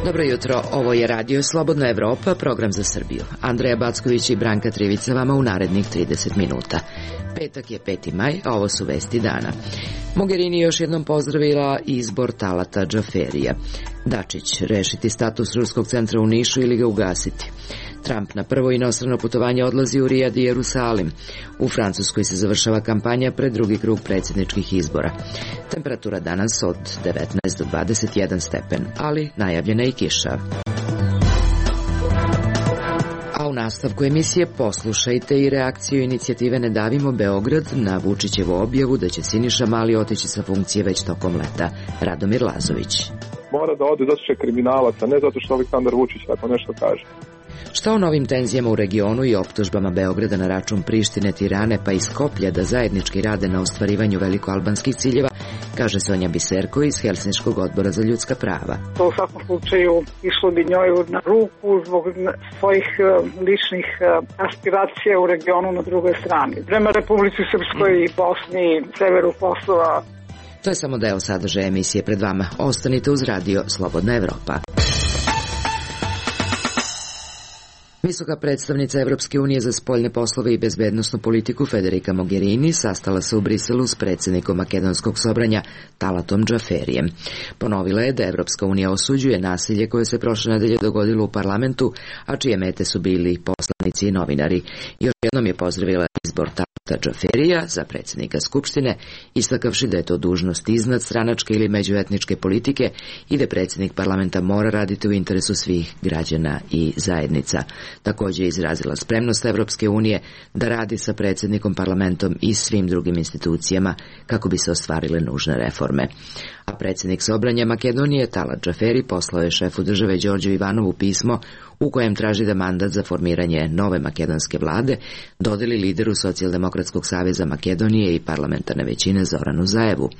Dobro jutro, ovo je Radio Slobodna Evropa, program za Srbiju. Andreja Backović i Branka Trivica vama u narednih 30 minuta. Petak je 5. maj, a ovo su vesti dana. Mogherini još jednom pozdravila izbor Talata Džaferija. Dačić, rešiti status ruskog centra u Nišu ili ga ugasiti. Trump na prvo inostrano putovanje odlazi u Rijad i Jerusalim. U Francuskoj se završava kampanja pred drugi krug predsjedničkih izbora. Temperatura danas od 19 do 21 stepen, ali najavljena i kiša. A u nastavku emisije poslušajte i reakciju inicijative Ne davimo Beograd na Vučićevu objavu da će Siniša Mali otići sa funkcije već tokom leta. Radomir Lazović. Mora da ode zato što je kriminalac, a ne zato što Aleksandar Vučić tako nešto kaže. Šta o novim tenzijama u regionu i optužbama Beograda na račun Prištine, Tirane pa i Skoplja da zajednički rade na ostvarivanju velikoalbanskih ciljeva, kaže Sonja Biserko iz Helsinškog odbora za ljudska prava. To u svakom slučaju išlo bi njoj na ruku zbog svojih ličnih aspiracija u regionu na drugoj strani. Prema Republici Srpskoj i Bosni, severu Kosova. To je samo deo sadržaja emisije pred vama. Ostanite uz Radio Slobodna Evropa. Visoka predstavnica Evropske unije za spoljne poslove i bezbednosnu politiku Federica Mogherini sastala se u Briselu s predsjednikom makedonskog sobranja Talatom Džaferijem. Ponovila je da Evropska unija osuđuje nasilje koje se prošle nedelje dogodilo u parlamentu, a čije mete su bili poslanici i novinari. Još jednom je pozdravila izbor Talata Džaferija za predsjednika Skupštine, istakavši da je to dužnost iznad stranačke ili međuetničke politike i da predsjednik parlamenta mora raditi u interesu svih građana i zajednica. Također je izrazila spremnost Evropske unije da radi sa predsjednikom parlamentom i svim drugim institucijama kako bi se ostvarile nužne reforme. A predsjednik sobranja Makedonije Talat Džaferi poslao je šefu države Đorđu Ivanovu pismo u kojem traži da mandat za formiranje nove makedonske vlade dodeli lideru Socijaldemokratskog saveza Makedonije i parlamentarne većine Zoranu Zaevu.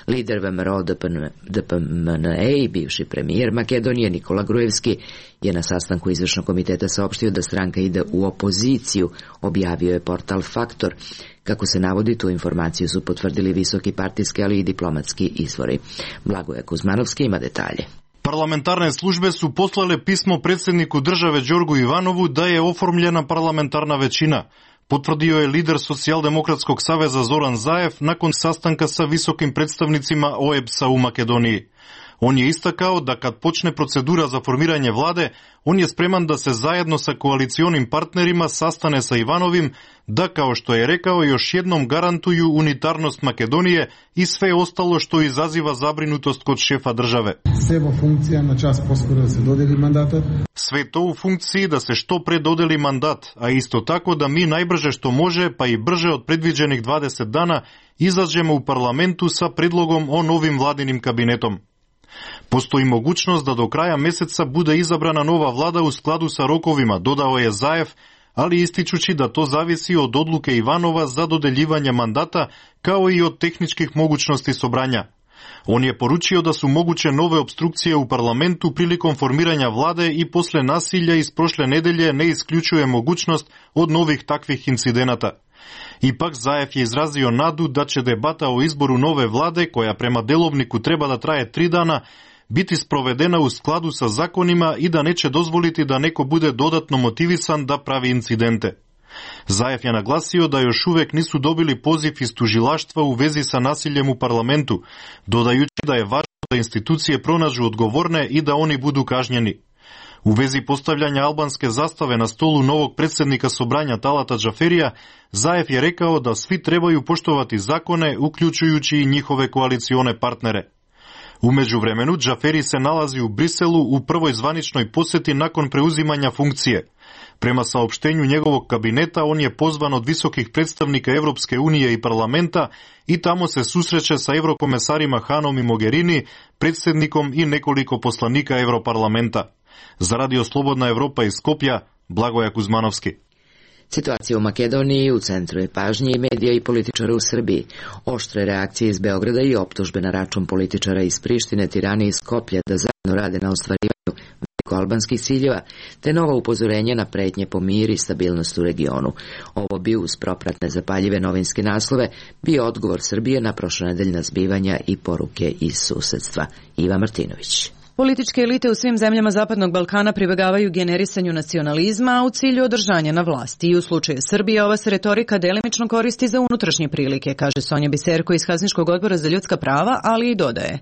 Lider VMRO DPMNE i bivši premijer Makedonije Nikola Grujevski je na sastanku izvršnog komiteta saopštio da stranka ide u opoziciju, objavio je portal Faktor. Kako se navodi, tu informaciju su potvrdili visoki partijski, ali i diplomatski izvori. Blagoje Kuzmanovski ima detalje. Parlamentarne službe su poslale pismo predsjedniku države Đorgu Ivanovu da je oformljena parlamentarna većina. Potvrdio je lider Socijaldemokratskog saveza Zoran Zaev nakon sastanka sa visokim predstavnicima OEBS-a u Makedoniji. On je istakao da kad počne procedura za formiranje vlade, on je spreman da se zajedno sa koalicionim partnerima sastane sa Ivanovim, da kao što je rekao još jednom garantuju unitarnost Makedonije i sve ostalo što izaziva zabrinutost kod šefa države. Sve to u funkciji da se što pre dodeli mandat, a isto tako da mi najbrže što može, pa i brže od predviđenih 20 dana, izađemo u parlamentu sa predlogom o novim vladinim kabinetom. Postoji mogućnost da do kraja meseca bude izabrana nova vlada u skladu sa rokovima, dodao je Zaev, ali ističući da to zavisi od odluke Ivanova za dodeljivanje mandata, kao i od tehničkih mogućnosti sobranja. On je poručio da su moguće nove opstrukcije u parlamentu prilikom formiranja vlade i posle nasilja iz prošle nedelje ne isključuje mogućnost od novih takvih incidenata. Ipak Zaev je izrazio nadu da će debata o izboru nove vlade, koja prema delovniku treba da traje 3 dana, biti sprovedena u skladu sa zakonima i da neće dozvoliti da neko bude dodatno motivisan da pravi incidente. Zaev je naglasio da još uvek nisu dobili poziv iz tužilaštva u vezi sa nasiljem u parlamentu, dodajući da je važno da institucije pronađu odgovorne i da oni budu kažnjeni. U vezi postavljanja albanske zastave na stolu novog predsjednika sobranja Talata Džaferija, Zaev je rekao da svi trebaju poštovati zakone, uključujući i njihove koalicione partnere. U međuvremenu, Džaferi se nalazi u Briselu u prvoj zvaničnoj posjeti nakon preuzimanja funkcije. Prema saopštenju njegovog kabineta, on je pozvan od visokih predstavnika Evropske unije i parlamenta i tamo se susreće sa eurokomesarima Hanom i Mogherini, predsjednikom i nekoliko poslanika Europarlamenta. Za Radio Slobodna Evropa iz Skopja, Blagoje Kuzmanovski. Situacija u Makedoniji u centru je pažnje i medija i političara u Srbiji. Oštre reakcije iz Beograda i optužbe na račun političara iz Prištine, Tirane i Skoplja da zajedno rade na ostvarivanju velikoalbanskih ciljeva, te nova upozorenja na pretnje po mir i stabilnost u regionu. Ovo bi uz propratne zapaljive novinske naslove bio odgovor Srbije na prošlonedeljna zbivanja i poruke iz susedstva. Iva Martinović. Političke elite u svim zemljama Zapadnog Balkana pribegavaju generisanju nacionalizma, a u cilju održanja na vlasti. I u slučaju Srbije ova se retorika delimično koristi za unutrašnje prilike, kaže Sonja Biserko iz Helsinškog odbora za ljudska prava, ali i dodaje.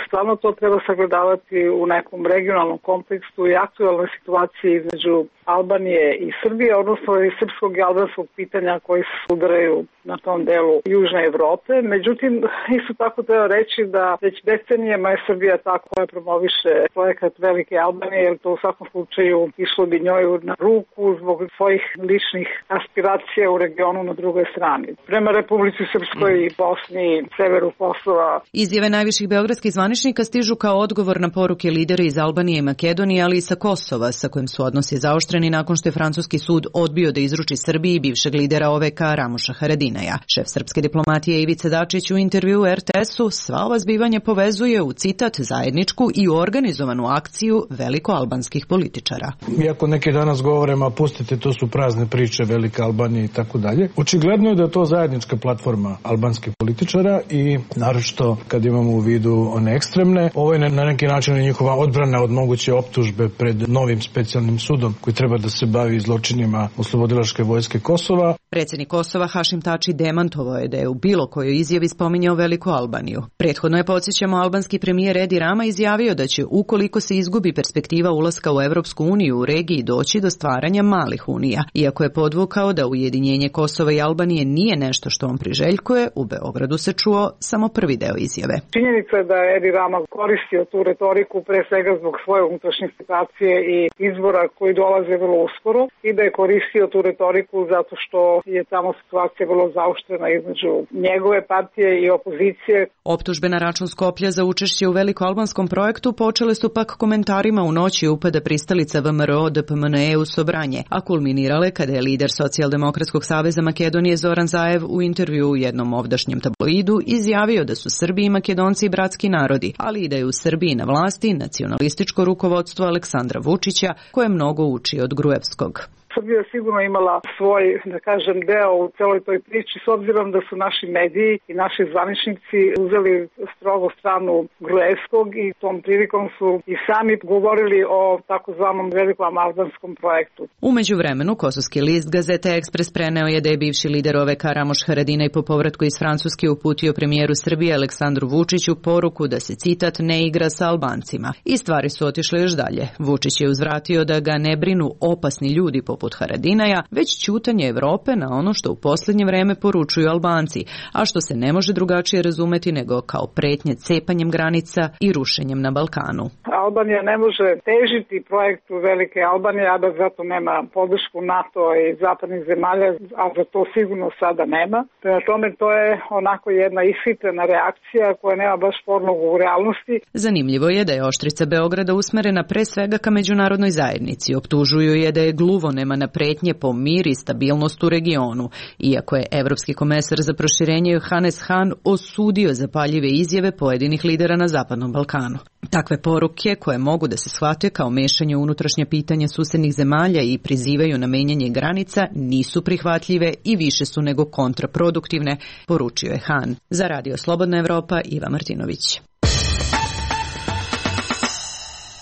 Stvarno to treba sagledavati u nekom regionalnom kontekstu i aktualnoj situaciji između Albanije i Srbije, odnosno i srpskog i albanskog pitanja koji se udaraju na tom delu Južne Evrope. Međutim, isto tako treba reći da već decenijama je Srbija ta koja promoviše projekat Velike Albanije, jer to u svakom slučaju išlo bi njoj na ruku zbog svojih ličnih aspiracija u regionu na drugoj strani. Prema Republici Srpskoj i Bosni, severu Kosova. Izjave najviših beogradskih zvaničnika stižu kao odgovor na poruke lidera iz Albanije i Makedonije, ali i sa Kosova, sa kojim su odnosi zaoštreni nakon što je francuski sud odbio da izruči Srbiji bivšeg lidera OVK Ramuša Haradinaja. Šef srpske diplomatije Ivica Dačić u intervjuu RTS-u sva ova zbivanja povezuje u citat zajedničku i organizovanu akciju velikoalbanskih političara. Iako neki danas govore, ma pustite, to su prazne priče Velike Albanije i tako dalje, očigledno je da je to zajednička platforma albanskih političara i naročito kad imamo u vidu one ekstremne, ovo je na neki način njihova odbrana od moguće optužbe pred novim specijalnim sudom koji treba da se bavi zločinima oslobodilačke vojske Kosova. Predsjednik Kosova Hašim Tači demantovao je da je u bilo kojoj izjavi spominjao Veliku Albaniju. Prethodno je, podsjećamo, albanski premijer Edi Rama izjavio da će, ukoliko se izgubi perspektiva ulaska u Evropsku uniju u regiji, doći do stvaranja malih unija. Iako je podvukao da ujedinjenje Kosova i Albanije nije nešto što on priželjkuje, u Beogradu se čuo samo prvi deo izjave. Činjenica je da je Edi Rama koristio tu retoriku pre svega zbog svoje unutrašnje situacije i izbora koji dolaze vrlo uskoro i da je koristio tu retoriku zato što je tamo situacija vrlo zaoštrena između njegove partije i opozicije. Optužbe na račun Skoplja za učešće u velikoalbanskom projektu počele su pak komentarima u noći upada pristalica VMRO DPMNE u Sobranje, a kulminirale kada je lider Socijaldemokratskog saveza Makedonije Zoran Zaev u intervjuu u jednom ovdašnjem tabloidu izjavio da su Srbi i Makedonci bratski narodi, ali i da je u Srbiji na vlasti nacionalističko rukovodstvo Aleksandra Vučića, koje mnogo uči od Gruevskog. Srbija je sigurno imala svoj, da kažem, deo u celoj toj priči, s obzirom da su naši mediji i naši zvaničnici uzeli strogo stranu Gruevskog i tom prilikom su i sami govorili o takozvanom velikom albanskom projektu. U međuvremenu, kosovski list Gazeta Ekspres preneo je da je bivši lider OVK Ramuš Haradinaj po povratku iz Francuske uputio premijeru Srbije Aleksandru Vučiću poruku da se, citat, ne igra sa Albancima. I stvari su otišle još dalje. Vučić je uzvratio da ga ne brinu opasni ljudi poput Haradinaja, već ćutanje Evrope na ono što u posljednje vreme poručuju Albanci, a što se ne može drugačije razumeti nego kao pretnje cepanjem granica i rušenjem na Balkanu. Albanija ne može težiti projektu Velike Albanije, a da zato nema podršku NATO i zapadnih zemalja, a za to sigurno sada nema. Prema tome, to je onako jedna ishitrena reakcija koja nema baš podlogu u realnosti. Zanimljivo je da je oštrica Beograda usmerena pre svega ka međunarodnoj zajednici. Optužuju je da je gluvonema na pretnje po mir i stabilnost u regionu, iako je evropski komesar za proširenje Johannes Hahn osudio zapaljive izjave pojedinih lidera na Zapadnom Balkanu. Takve poruke, koje mogu da se shvate kao mešanje u unutrašnje pitanje susednih zemalja i prizivaju na menjanje granica, nisu prihvatljive i više su nego kontraproduktivne, poručio je Hahn. Za Radio Slobodna Evropa, Iva Martinović.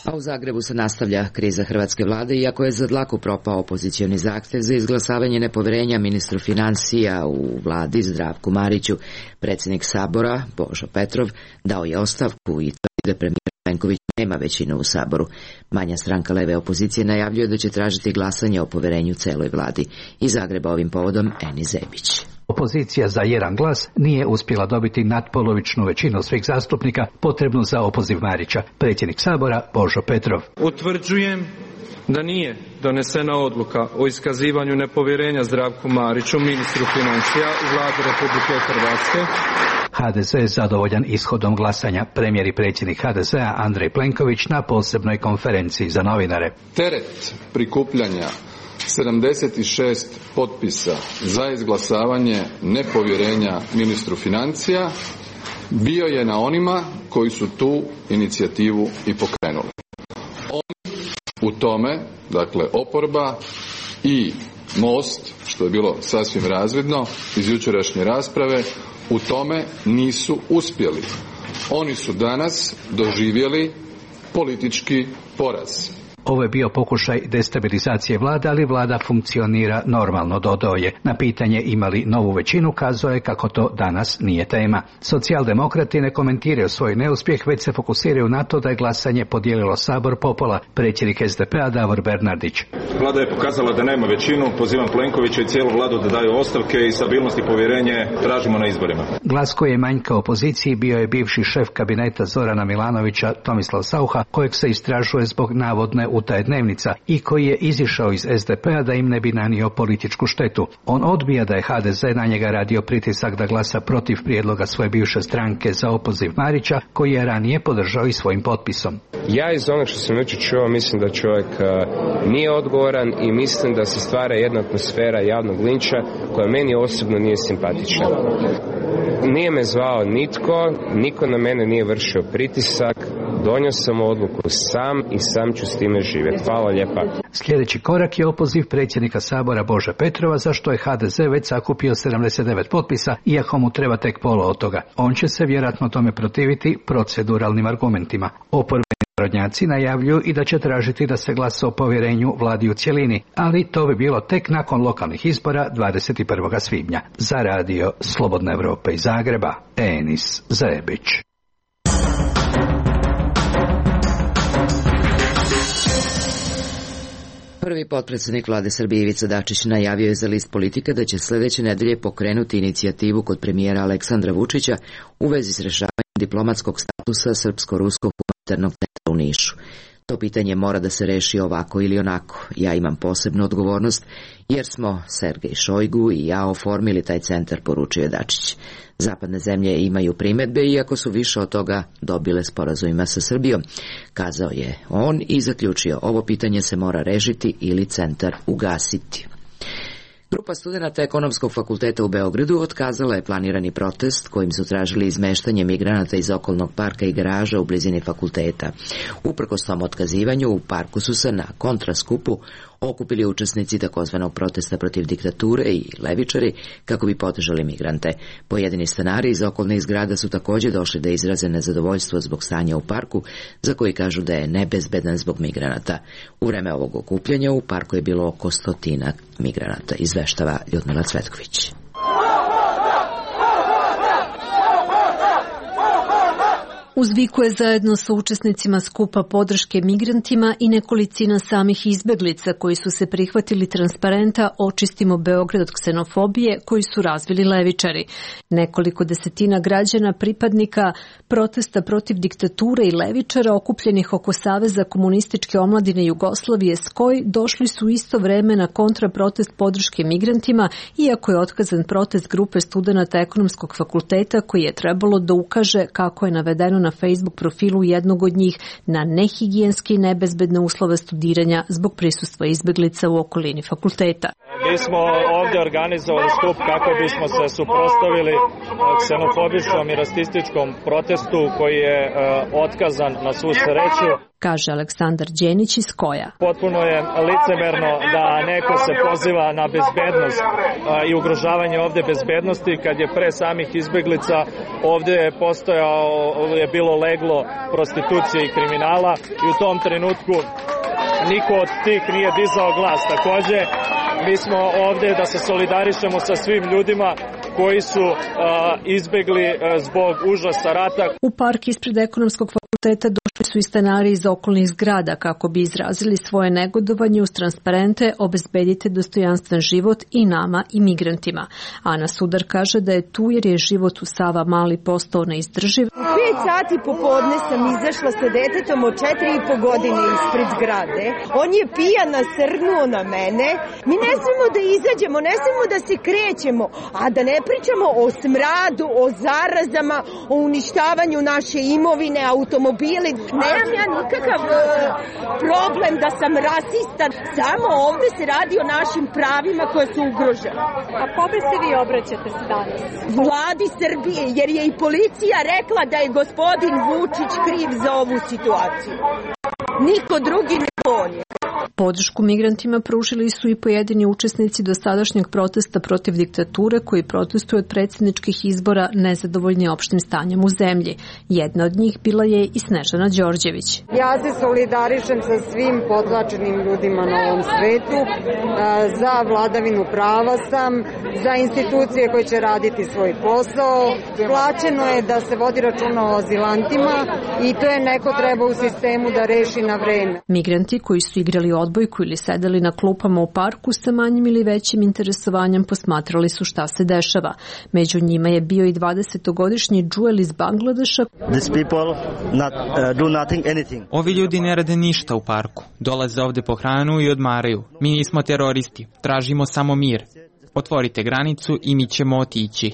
A u Zagrebu se nastavlja kriza hrvatske vlade, iako je za dlaku propao opozicioni zahtev za izglasavanje nepoverenja ministru financija u vladi Zdravku Mariću. Predsjednik Sabora, Božo Petrov, dao je ostavku i tvrdi da premijer Plenković nema većinu u Saboru. Manja stranka leve opozicije najavljuje da će tražiti glasanje o poverenju celoj vladi. Iz Zagreba ovim povodom Eni Zebić. Opozicija za jedan glas nije uspjela dobiti nadpolovičnu većinu svih zastupnika potrebnu za opoziv Marića. Predsjednik Sabora Božo Petrov. Utvrđujem da nije donesena odluka o iskazivanju nepovjerenja Zdravku Mariću, ministru financija u vladi Republike Hrvatske. HDZ je zadovoljan ishodom glasanja. Premijer i predsjednik HDZ-a Andrej Plenković na posebnoj konferenciji za novinare. Teret prikupljanja 76 potpisa za izglasavanje nepovjerenja ministru financija bio je na onima koji su tu inicijativu i pokrenuli. Oni u tome, dakle oporba i Most, što je bilo sasvim razvidno iz jučerašnje rasprave, u tome nisu uspjeli. Oni su danas doživjeli politički poraz. Ovo je bio pokušaj destabilizacije vlade, ali vlada funkcionira normalno, dodao je. Na pitanje ima li novu većinu, kazao je kako to danas nije tema. Socijaldemokrati ne komentiraju svoj neuspjeh, već se fokusiraju na to da je glasanje podijelilo Sabor popola. Predsjednik SDP-a Davor Bernardić. Vlada je pokazala da nema većinu, pozivam Plenkovića i cijelu vladu da daju ostavke i stabilnost i povjerenje tražimo na izborima. Glas koji je manjka opoziciji bio je bivši šef kabineta Zorana Milanovića Tomislav Saucha, kojeg se istražuje zbog navodne utaje dnevnica i koji je izišao iz SDP-a da im ne bi nanio političku štetu. On odbija da je HDZ na njega radio pritisak da glasa protiv prijedloga svoje bivše stranke za opoziv Marića, koji je ranije podržao i svojim potpisom. Ja iz onog što sam jučer čuo mislim da čovjek nije odgovoran i mislim da se stvara jedna atmosfera javnog linča koja meni osobno nije simpatična. Nije me zvao niko na mene nije vršio pritisak, donio sam odluku sam i sam ću s time živjeti. Hvala lijepa. Sljedeći korak je opoziv predsjednika Sabora Bože Petrova, za što je HDZ već sakupio 79 potpisa, iako mu treba tek pola od toga. On će se vjerojatno tome protiviti proceduralnim argumentima. Oporbeni narodnjaci najavljuju i da će tražiti da se glasa o povjerenju vladi u cjelini, ali to bi bilo tek nakon lokalnih izbora 21. svibnja. Za radio Slobodna Evropa iz Zagreba, Enis Zebić. Prvi potpredsjednik vlade Srbije Ivica Dačić najavio je za List Politike da će sljedeće nedelje pokrenuti inicijativu kod premijera Aleksandra Vučića u vezi s rješavanjem diplomatskog statusa Srpsko-ruskog humanitarnog centra u Nišu. To pitanje mora da se reši ovako ili onako. Ja imam posebnu odgovornost jer smo Sergej Šojgu i ja oformili taj centar, poručio je Dačić. Zapadne zemlje imaju primjedbe, iako su više od toga dobile sporazumima sa Srbijom, kazao je on i zaključio, ovo pitanje se mora rešiti ili centar ugasiti. Grupa studenata Ekonomskog fakulteta u Beogradu otkazala je planirani protest kojim su tražili izmeštanje migranata iz okolnog parka i garaža u blizini fakulteta. Uprkos tom otkazivanju, u parku su se na kontraskupu okupili učesnici takozvanog protesta protiv diktature i levičari kako bi podržali migrante. Pojedini stanari iz okolnih zgrada su također došli da izraze nezadovoljstvo zbog stanja u parku, za koji kažu da je nebezbedan zbog migranata. U vreme ovog okupljanja u parku je bilo oko 100 migranata, izveštava Ljudmila Cvetković. Uzvikuje zajedno sa učesnicima skupa podrške migrantima i nekolicina samih izbeglica koji su se prihvatili transparenta Očistimo Beograd od ksenofobije koji su razvili levičari. Nekoliko desetina građana pripadnika protesta protiv diktature i levičara okupljenih oko Saveza komunističke omladine Jugoslavije SKOJ došli su isto vreme na kontraprotest podrške migrantima, iako je otkazan protest grupe studenata Ekonomskog fakulteta koji je trebalo da ukaže, kako je navedeno na Facebook profilu jednog od njih, na nehigijenske i nebezbedne uslove studiranja zbog prisustva izbeglica u okolini fakulteta. Mi smo ovdje organizovali skup kako bismo se suprotstavili ksenofobijskom i rasističkom protestu koji je otkazan na svu sreću, kaže Aleksandar Đenić iz Koja. Potpuno je licemerno da neko se poziva na bezbednost i ugrožavanje ovdje bezbednosti kad je pre samih izbeglica ovdje je bilo leglo prostitucije i kriminala i u tom trenutku niko od tih nije dizao glas. Također mi smo ovdje da se solidarišemo sa svim ljudima koji su izbegli zbog užasa rata. U park ispred Ekonomskog fakulteta došli su i stanari iz okolnih zgrada kako bi izrazili svoje negodovanje uz transparente obezbedite dostojanstven život i nama i migrantima. Ana Sudar kaže da je tu jer je život u Sava Mali postao neizdrživ. U 5 sati popodne sam izašla sa detetom od 4,5 godine ispred zgrade. On je pijan nasrnuo na mene. Mi ne smemo da izađemo, ne smemo da se krećemo, a da ne pričamo o smradu, o zarazama, o uništavanju naše imovine, automobili. Nemam ja nikakav problem da sam rasista, samo ovdje se radi o našim pravima koje su ugrožene. A kome se vi obraćate se danas? Vladi Srbije, jer je i policija rekla da je gospodin Vučić kriv za ovu situaciju. Niko drugi ne on je. Podršku migrantima pružili su i pojedini učesnici dosadašnjeg protesta protiv diktature koji protestuju od predsjedničkih izbora nezadovoljni opštim stanjem u zemlji. Jedna od njih bila je i Snežana Đorđević. Ja se solidarišem sa svim potlačenim ljudima na ovom svetu. Za vladavinu prava sam, za institucije koje će raditi svoj posao. Plaćeno je da se vodi računa o azilantima i to je neko treba u sistemu da reši na vreme. Migranti koji su igrali odbojku ili sedeli na klupama u parku sa manjim ili većim interesovanjem posmatrali su šta se dešava. Među njima je bio i 20-godišnji Džuel iz Bangladeša. Ovi ljudi ne rade ništa u parku. Dolaze ovde po hranu i odmaraju. Mi nismo teroristi. Tražimo samo mir. Otvorite granicu i mi ćemo otići.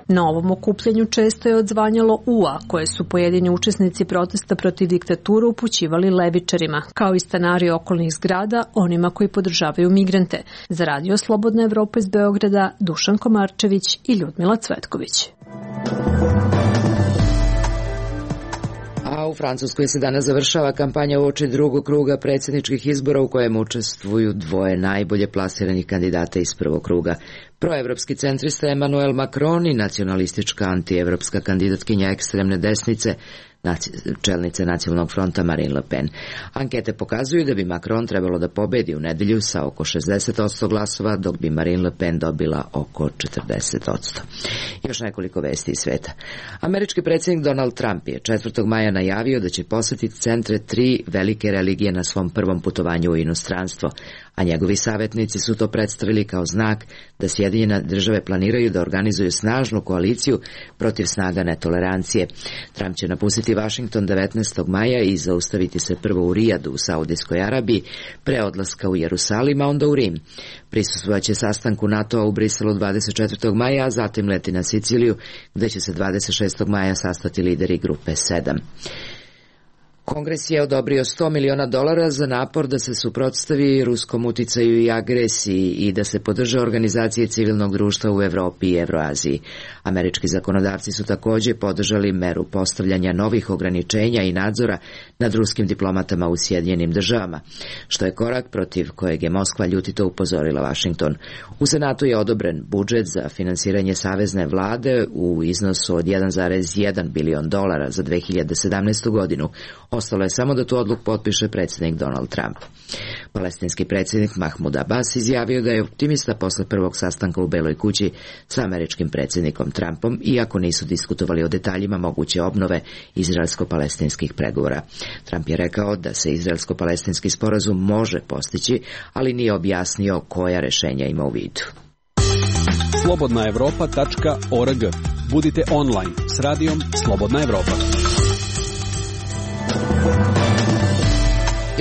Na ovom okupljanju često je odzvanjalo UA, koje su pojedini učesnici protesta protiv diktature upućivali levičarima, kao i stanari okolnih zgrada, onima koji podržavaju migrante. Za Radio Slobodna Evropa iz Beograda, Dušan Komarčević i Ljudmila Cvetković. A u Francuskoj se danas završava kampanja uoči drugog kruga predsjedničkih izbora u kojem učestvuju dvoje najbolje plasiranih kandidata iz prvog kruga. Proevropski centrista Emmanuel Macron i nacionalistička antievropska kandidatkinja ekstremne desnice, čelnice Nacionalnog fronta Marine Le Pen. Ankete pokazuju da bi Macron trebalo da pobedi u nedelju sa oko 60% glasova, dok bi Marine Le Pen dobila oko 40%. Još nekoliko vesti iz sveta. Američki predsjednik Donald Trump je 4. maja najavio da će posetiti centre 3 velike religije na svom prvom putovanju u inostranstvo, a njegovi savjetnici su to predstavili kao znak da Sjedinjene države planiraju da organizuju snažnu koaliciju protiv snaga netolerancije. Trump će napustiti Washington 19. maja i zaustaviti se prvo u Rijadu u Saudijskoj Arabiji, pre odlaska u Jerusalim, a onda u Rim. Prisustvovaće sastanku NATO-a u Briselu 24. maja, a zatim leti na Siciliju, gde će se 26. maja sastati lideri grupe 7. Kongres je odobrio $100 miliona za napor da se suprotstavi ruskom uticaju i agresiji i da se podrže organizacije civilnog društva u Evropi i Evroaziji. Američki zakonodavci su također podržali meru postavljanja novih ograničenja i nadzora nad ruskim diplomatama u Sjedinjenim državama, što je korak protiv kojeg je Moskva ljutito upozorila Washington. U Senatu je odobren budžet za finansiranje savezne vlade u iznosu od $1,1 bilion za 2017. godinu. Ostalo je samo da tu odluku potpiše predsjednik Donald Trump. Palestinski predsjednik Mahmud Abbas izjavio da je optimista posle prvog sastanka u Beloj kući sa američkim predsjednikom Trumpom, iako nisu diskutovali o detaljima moguće obnove izraelsko-palestinskih pregovora. Trump je rekao da se izraelsko-palestinski sporazum može postići, ali nije objasnio koja rešenja ima u vidu. slobodnaevropa.org. Budite online s radijom Slobodna Evropa.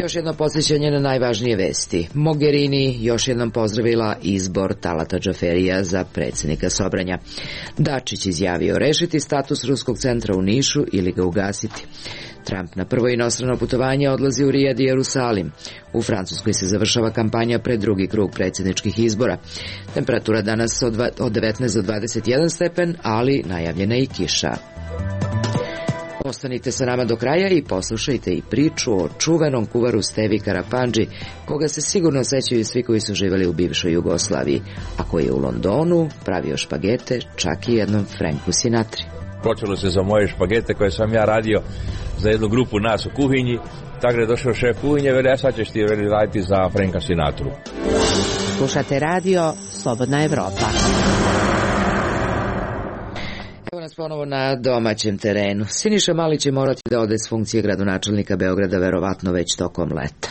Još jedno podsjećanje na najvažnije vesti. Mogherini još jednom pozdravila izbor Talata Džaferija za predsjednika Sobranja. Dačić izjavio rešiti status ruskog centra u Nišu ili ga ugasiti. Trump na prvo inostrano putovanje odlazi u Rijad i Jerusalim. U Francuskoj se završava kampanja pred drugi krug predsjedničkih izbora. Temperatura danas od 19 do 21 stepen, ali najavljena i kiša. Ostanite sa nama do kraja i poslušajte i priču o čuvenom kuvaru Stevi Karapandži, koga se sigurno sećaju svi koji su živjeli u bivšoj Jugoslaviji, a koji je u Londonu pravio špagete čak i jednom Franku Sinatri. Počelo se za moje špagete koje sam ja radio za jednu grupu nas u kuhinji, tako je došao šef kuhinje, veli, a sad ćeš ti raditi za Franka Sinatru. Slušate radio Slobodna Evropa. Evo nas ponovo na domaćem terenu. Siniša Mali će morati da ode s funkcije gradonačelnika Beograda verovatno već tokom leta.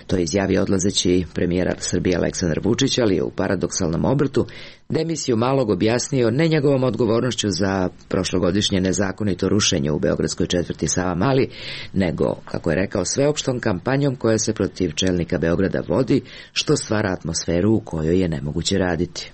To je izjavio odlazeći premijera Srbije Aleksandar Vučić, ali je u paradoksalnom obrtu demisiju Malog objasnio ne njegovom odgovornošću za prošlogodišnje nezakonito rušenje u beogradskoj četvrti Savamali, nego, kako je rekao, sveopštom kampanjom koja se protiv čelnika Beograda vodi, što stvara atmosferu u kojoj je nemoguće raditi.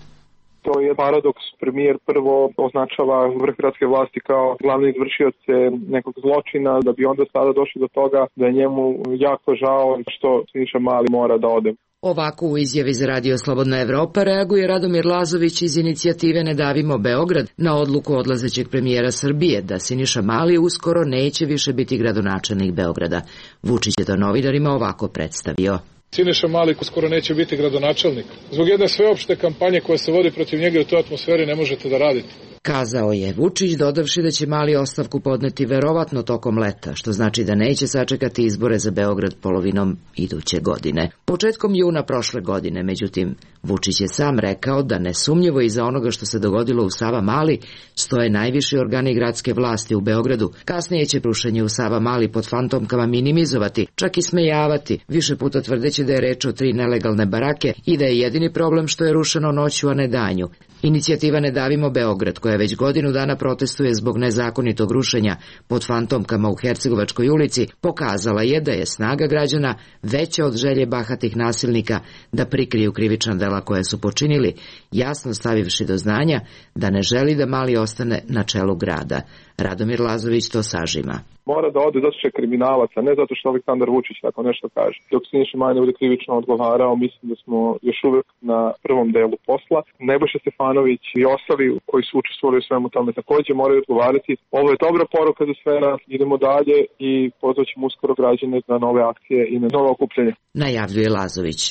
To je paradoks. Premijer prvo označava vrh gradske vlasti kao glavni izvršioce nekog zločina, da bi onda sada došli do toga da je njemu jako žao što Siniša Mali mora da ode. Ovako u izjavi za Radio Slobodna Evropa reaguje Radomir Lazović iz inicijative Ne davimo Beograd na odluku odlazećeg premijera Srbije da Siniša Mali uskoro neće više biti gradonačelnik Beograda. Vučić je to novinarima ovako predstavio. Siniša Mali skoro neće biti gradonačelnik. Zbog jedne sveopšte kampanje koja se vodi protiv njega u toj atmosferi ne možete da radite. Kazao je Vučić, dodavši da će Mali ostavku podneti verovatno tokom leta, što znači da neće sačekati izbore za Beograd polovinom iduće godine. Početkom juna prošle godine, međutim, Vučić je sam rekao da nesumnjivo iza onoga što se dogodilo u Savamali stoje najviši organi gradske vlasti u Beogradu. Kasnije će rušenje u Savamali pod fantomkama minimizovati, čak i smejavati, više puta tvrdeći da je reč o 3 nelegalne barake i da je jedini problem što je rušeno noću, a ne danju. Inicijativa Ne davimo Beograd, koja već godinu dana protestuje zbog nezakonitog rušenja pod fantomkama u Hercegovačkoj ulici, pokazala je da je snaga građana veća od želje bahatih nasilnika da prikriju krivična dela koje su počinili, jasno stavivši do znanja da ne želi da Mali ostane na čelu grada. Radomir Lazović to sažima. Mora da ode zato što je kriminalac, a ne zato što Aleksandar Vučić tako nešto kaže. Dok Siniša Mali ne bude krivično odgovarao, mislim da smo još uvek na prvom delu posla. Nebojša Stefanović i ostali koji su učestvovali u svemu tome takođe moraju odgovarati. Ovo je dobra poruka za sve nas, idemo dalje i pozvaćemo uskoro građane na nove akcije i na nove okupljanje. Najavljuje Lazović.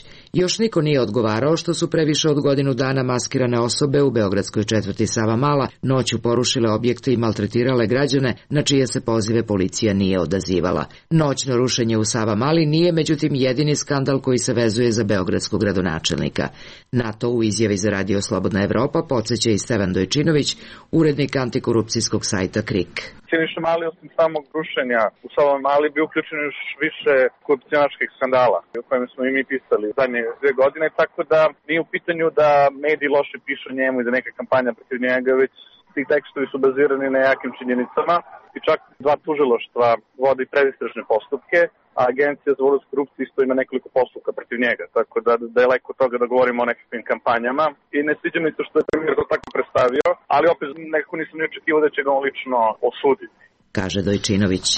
Još niko nije odgovarao što su previše od godinu dana maskirane osobe u beogradskoj četvrti Savamala noću porušile objekte i maltretirale građane na čije se pozive policija nije odazivala. Noćno rušenje u Savamali nije međutim jedini skandal koji se vezuje za beogradskog gradonačelnika. Na to u izjavi za Radio Slobodna Evropa podsjeća i Stevan Dojčinović, urednik antikorupcijskog sajta KRIK. Siniša Mali osim samog rušenja u Savamali bi uključeno još više korupcionaških skandala o kojima smo i mi pisali zadnje 2 godine, tako da nije u pitanju da mediji loše pišu o njemu i da neka kampanja protiv njega, već ti tekstovi su bazirani na jakim činjenicama i čak 2 tužilaštva vodi predistražne postupke, a Agencija za borbu s korupcijom isto ima nekoliko postupka protiv njega, tako da daleko od toga da govorimo o nekakvim kampanjama i ne sviđa mi se što je premijer to tako predstavio, ali opet nekako nisam ni očekivao da će ga on lično osuditi. Kaže Dojčinović.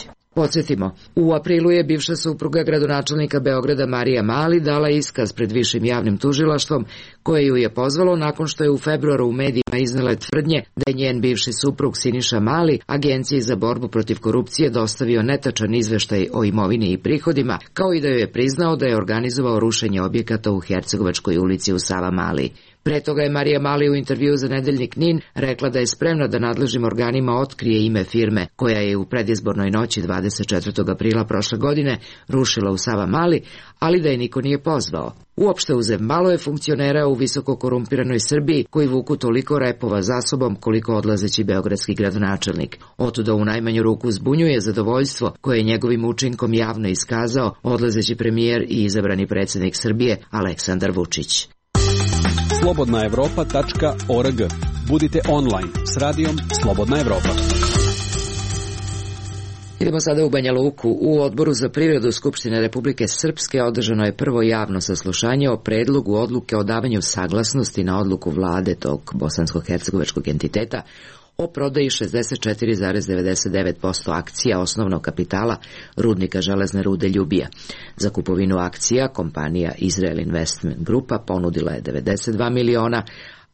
Podsjetimo, u aprilu je bivša supruga gradonačelnika Beograda Marija Mali dala iskaz pred višim javnim tužilaštvom koje ju je pozvalo nakon što je u februaru u medijima iznele tvrdnje da je njen bivši suprug Siniša Mali Agenciji za borbu protiv korupcije dostavio netačan izveštaj o imovini i prihodima, kao i da joj je priznao da je organizovao rušenje objekata u Hercegovačkoj ulici u Savamali. Pre toga je Marija Mali u intervju za nedeljnik NIN rekla da je spremna da nadležnim organima otkrije ime firme koja je u predizbornoj noći 24. aprila prošle godine rušila u Savamali, ali da je niko nije pozvao. Uopšte uzem, malo je funkcionera u visoko korumpiranoj Srbiji koji vuku toliko repova za sobom koliko odlazeći beogradski gradonačelnik. Otuda u najmanju ruku zbunjuje zadovoljstvo koje je njegovim učinkom javno iskazao odlazeći premijer i izabrani predsjednik Srbije Aleksandar Vučić. slobodnaevropa.org. Budite online s radijom Slobodna Evropa. Idemo sada u Banja Luku. U Odboru za privredu Skupštine Republike Srpske održano je prvo javno saslušanje o predlogu odluke o davanju saglasnosti na odluku vlade tog bosansko-hercegovačkog entiteta o prodaji 64,99% akcija osnovnog kapitala rudnika železne rude Ljubija. Za kupovinu akcija kompanija Israel Investment Grupa ponudila je 92 miliona,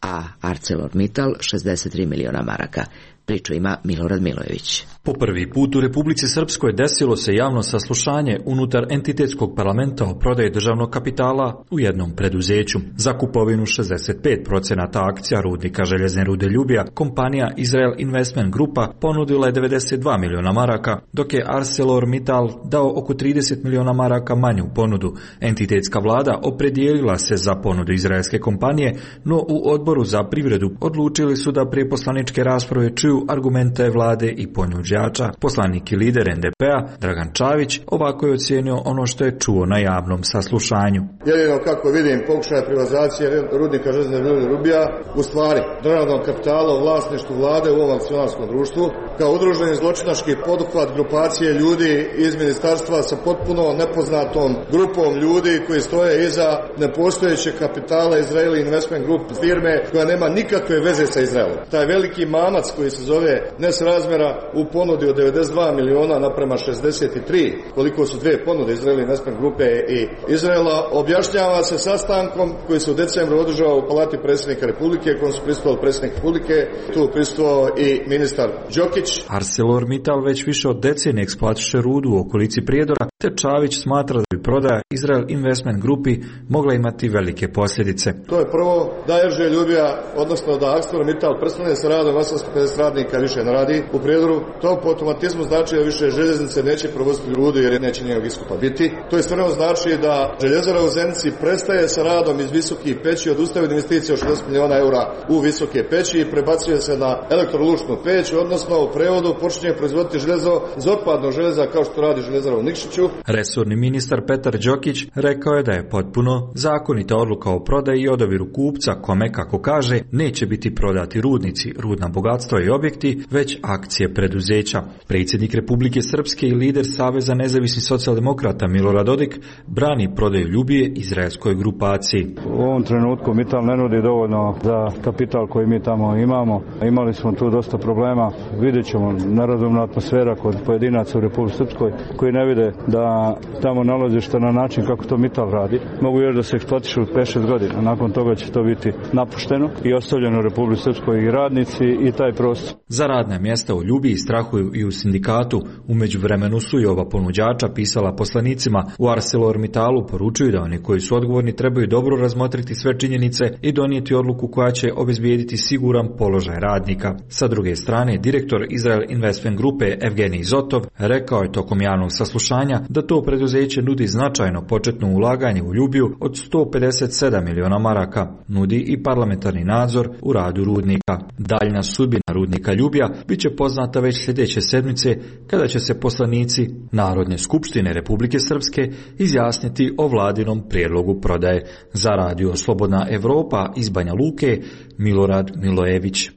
a ArcelorMittal 63 miliona maraka. Priču ima Milorad Milojević. Po prvi put u Republici Srpskoj desilo se javno saslušanje unutar entitetskog parlamenta o prodaji državnog kapitala u jednom preduzeću. Za kupovinu 65% akcija rudnika željezne rude Ljubija kompanija Israel Investment Grupa ponudila je 92 miliona maraka, dok je ArcelorMittal dao oko 30 miliona maraka manju ponudu. Entitetska vlada opredijelila se za ponudu izraelske kompanije, no u Odboru za privredu odlučili su da prije poslaničke rasprave čuju argumente vlade i ponuđe ponuđača. Poslanik i lider NDP-a Dragan Čavić ovako je ocijenio ono što je čuo na javnom saslušanju. Jedino kako vidim pokušaja privatizacije rudnika željezne Rubija u stvari državnog kapitala u vlasništvu vlade u ovom akcionarskom društvu kao udruženi zločinački poduhvat grupacije ljudi iz ministarstva sa potpuno nepoznatom grupom ljudi koji stoje iza nepostojećeg kapitala Israeli Investment Group firme koja nema nikakve veze sa Izraelom. Taj veliki mamac koji se zove nesrazmjera u ponudi od 92 miliona naprema 63, koliko su dve ponude Israeli Investment Grupe i Izraela, objašnjava se sastankom koji se u decembru održao u palati predsjednika Republike, kojom su prisustvovali predsjednik Republike, tu prisustvovao i ministar Đokić. ArcelorMittal već više od decenije eksploatiše rudu u okolici Prijedora, te Čavić smatra da bi prodaja Israel Investment Grupi mogla imati velike posljedice. To je prvo da Erže Ljubija, odnosno da ArcelorMittal prestane sa radom, 850 radnika više ne radi u Prijedoru. To po automatizmu znači da više željeznice neće provoziti rudu jer neće njenog iskupa biti. To istovremeno znači da željezara u Zenici prestaje sa radom iz visokih peći, odustaje od investicije od 60 miliona eura u visoke peći i prebacuje se na elektrolučnu peć, odnosno u prevodu počinje proizvoditi željezo iz otpadnog željeza kao što radi željezara u Nikšiću. Resorni ministar Petar Đokić rekao je da je potpuno zakonita odluka o prodaji i odabiru kupca kome, kako kaže, neće biti prodati rudnici, rudna bogatstva i objekti, već akcije preduzeća. Predsjednik Republike Srpske i lider Saveza nezavisnih socijaldemokrata Milorad Dodik brani prodaju Ljubije izraelskoj grupaciji. U ovom trenutku Mittal ne nudi dovoljno za kapital koji mi tamo imamo. Imali smo tu dosta problema. Vidjet ćemo nerazumna atmosfera kod pojedinaca u Republike Srpskoj koji ne vide da tamo nalazište na način kako to Mittal radi. Mogu još da se eksploatišu 5-6 godina. Nakon toga će to biti napušteno i ostavljeno u Republike Srpskoj i radnici i taj prostor. Za radna mjesta u Ljubiji strahuju i u sindikatu. U međuvremenu su i ova ponuđača pisala poslanicima u ArcelorMittalu, poručuju da oni koji su odgovorni trebaju dobro razmotriti sve činjenice i donijeti odluku koja će obezbijediti siguran položaj radnika. Sa druge strane, direktor Israel Investment Grupe Evgenij Zotov rekao je tokom javnog saslušanja da to preduzeće nudi značajno početno ulaganje u Ljubiju od 157 miliona maraka. Nudi i parlamentarni nadzor u radu rudnika. Daljna sudbina rudnika Ljubija bit će poznata već sljedeće sedmice kada će se poslanici Narodne skupštine Republike Srpske izjasniti o vladinom prijedlogu prodaje. Za radio Slobodna Evropa iz Banja Luke, Milorad Milojević.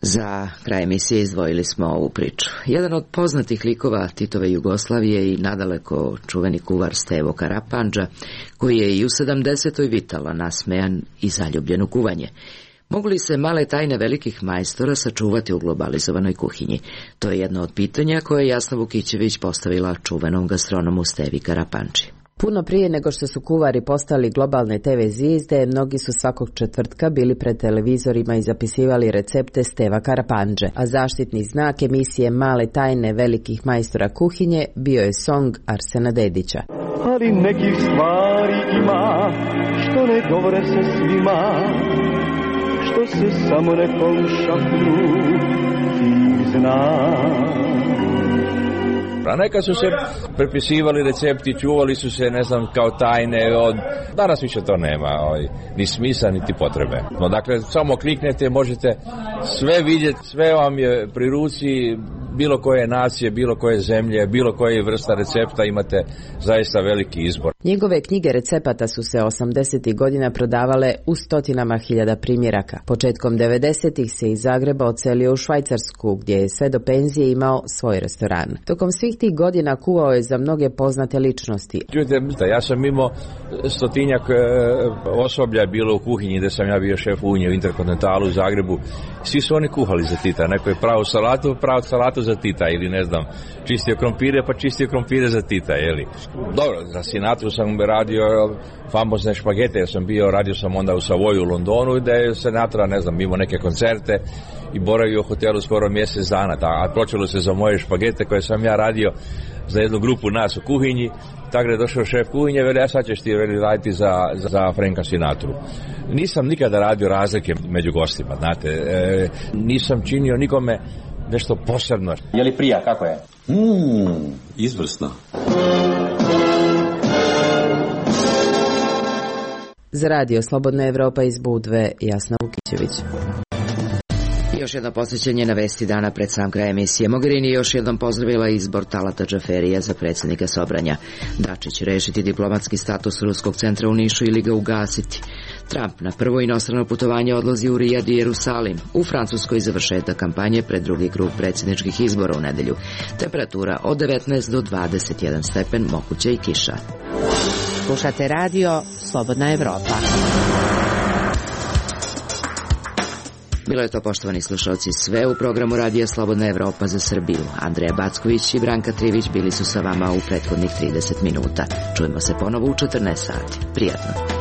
Za kraj emisije izdvojili smo ovu priču. Jedan od poznatih likova Titove Jugoslavije i nadaleko čuveni kuvar Stevo Karapandža, koji je i u 70. vitala nasmejan i zaljubljen u kuvanje. Mogu li se male tajne velikih majstora sačuvati u globalizovanoj kuhinji? To je jedno od pitanja koje je Jasna Vukićević postavila čuvenom gastronomu Stevi Karapandži. Puno prije nego što su kuvari postali globalne TV zvijezde, mnogi su svakog četvrtka bili pred televizorima i zapisivali recepte Steva Karapandže, a zaštitni znak emisije Male tajne velikih majstora kuhinje bio je song Arsena Dedića. Ali nekih stvari ima, što ne govore se svima, što se samo nekom šapnu ti znaš. A neka su se prepisivali recepti, čuvali su se, ne znam, kao tajne, danas više to nema, ni smisla, niti potrebe. No, dakle, samo kliknete, možete sve vidjeti, sve vam je pri ruci, bilo koje nacije, bilo koje zemlje, bilo koje vrsta recepta, imate zaista veliki izbor. Njegove knjige recepata su se 80. godina prodavale u stotinama hiljada primjeraka. Početkom 90. se iz Zagreba odselio u Švajcarsku, gdje je sve do penzije imao svoj restoran. Tokom svih tih godina kuvao je za mnoge poznate ličnosti. Čujte, ja sam imao stotinjak osoblja bilo u kuhinji gdje sam ja bio šef Unije u Interkontinentalu u Zagrebu. Svi su oni kuhali za Tita. Neko je pravo salatu za Tita ili ne znam, čistio krompire pa čistio krompire za Tita, jeli. Dobro, za Sinatru sam radio famozne špagete, radio sam onda u Savoju u Londonu gdje je Sinatra, ne znam, imao neke koncerte i boravio u hotelu skoro mjesec dana, a počelo se za moje špagete koje sam ja radio za jednu grupu nas u kuhinji. Tako je došao šef kuhinje, veli, sad ćeš ti raditi za Franka Sinatru. Nisam nikada radio razlike među gostima, znate, nisam činio nikome nešto posebno. Je li prija, kako je? Izvrsno. Za radio Slobodna Evropa iz Budve, Jasna Vukićević. Još jedno posjećenje na vesti dana pred sam kraj emisije. Mogherini još jednom pozdravila izbor Talata Džaferija za predsjednika Sobranja. Dačić rešiti diplomatski status Ruskog centra u Nišu ili ga ugasiti. Trump na prvo inostrano putovanje odlazi u Rijad i Jerusalim. U Francuskoj završetak kampanje pred drugi krug predsjedničkih izbora u nedelju. Temperatura od 19 do 21 stepen, moguće i kiša. Slušate radio Slobodna Evropa. Bilo je to, poštovani slušalci, sve u programu radija Slobodna Evropa za Srbiju. Andreja Backović i Branka Trivić bili su sa vama u prethodnih 30 minuta. Čujemo se ponovo u 14 sati. Prijatno.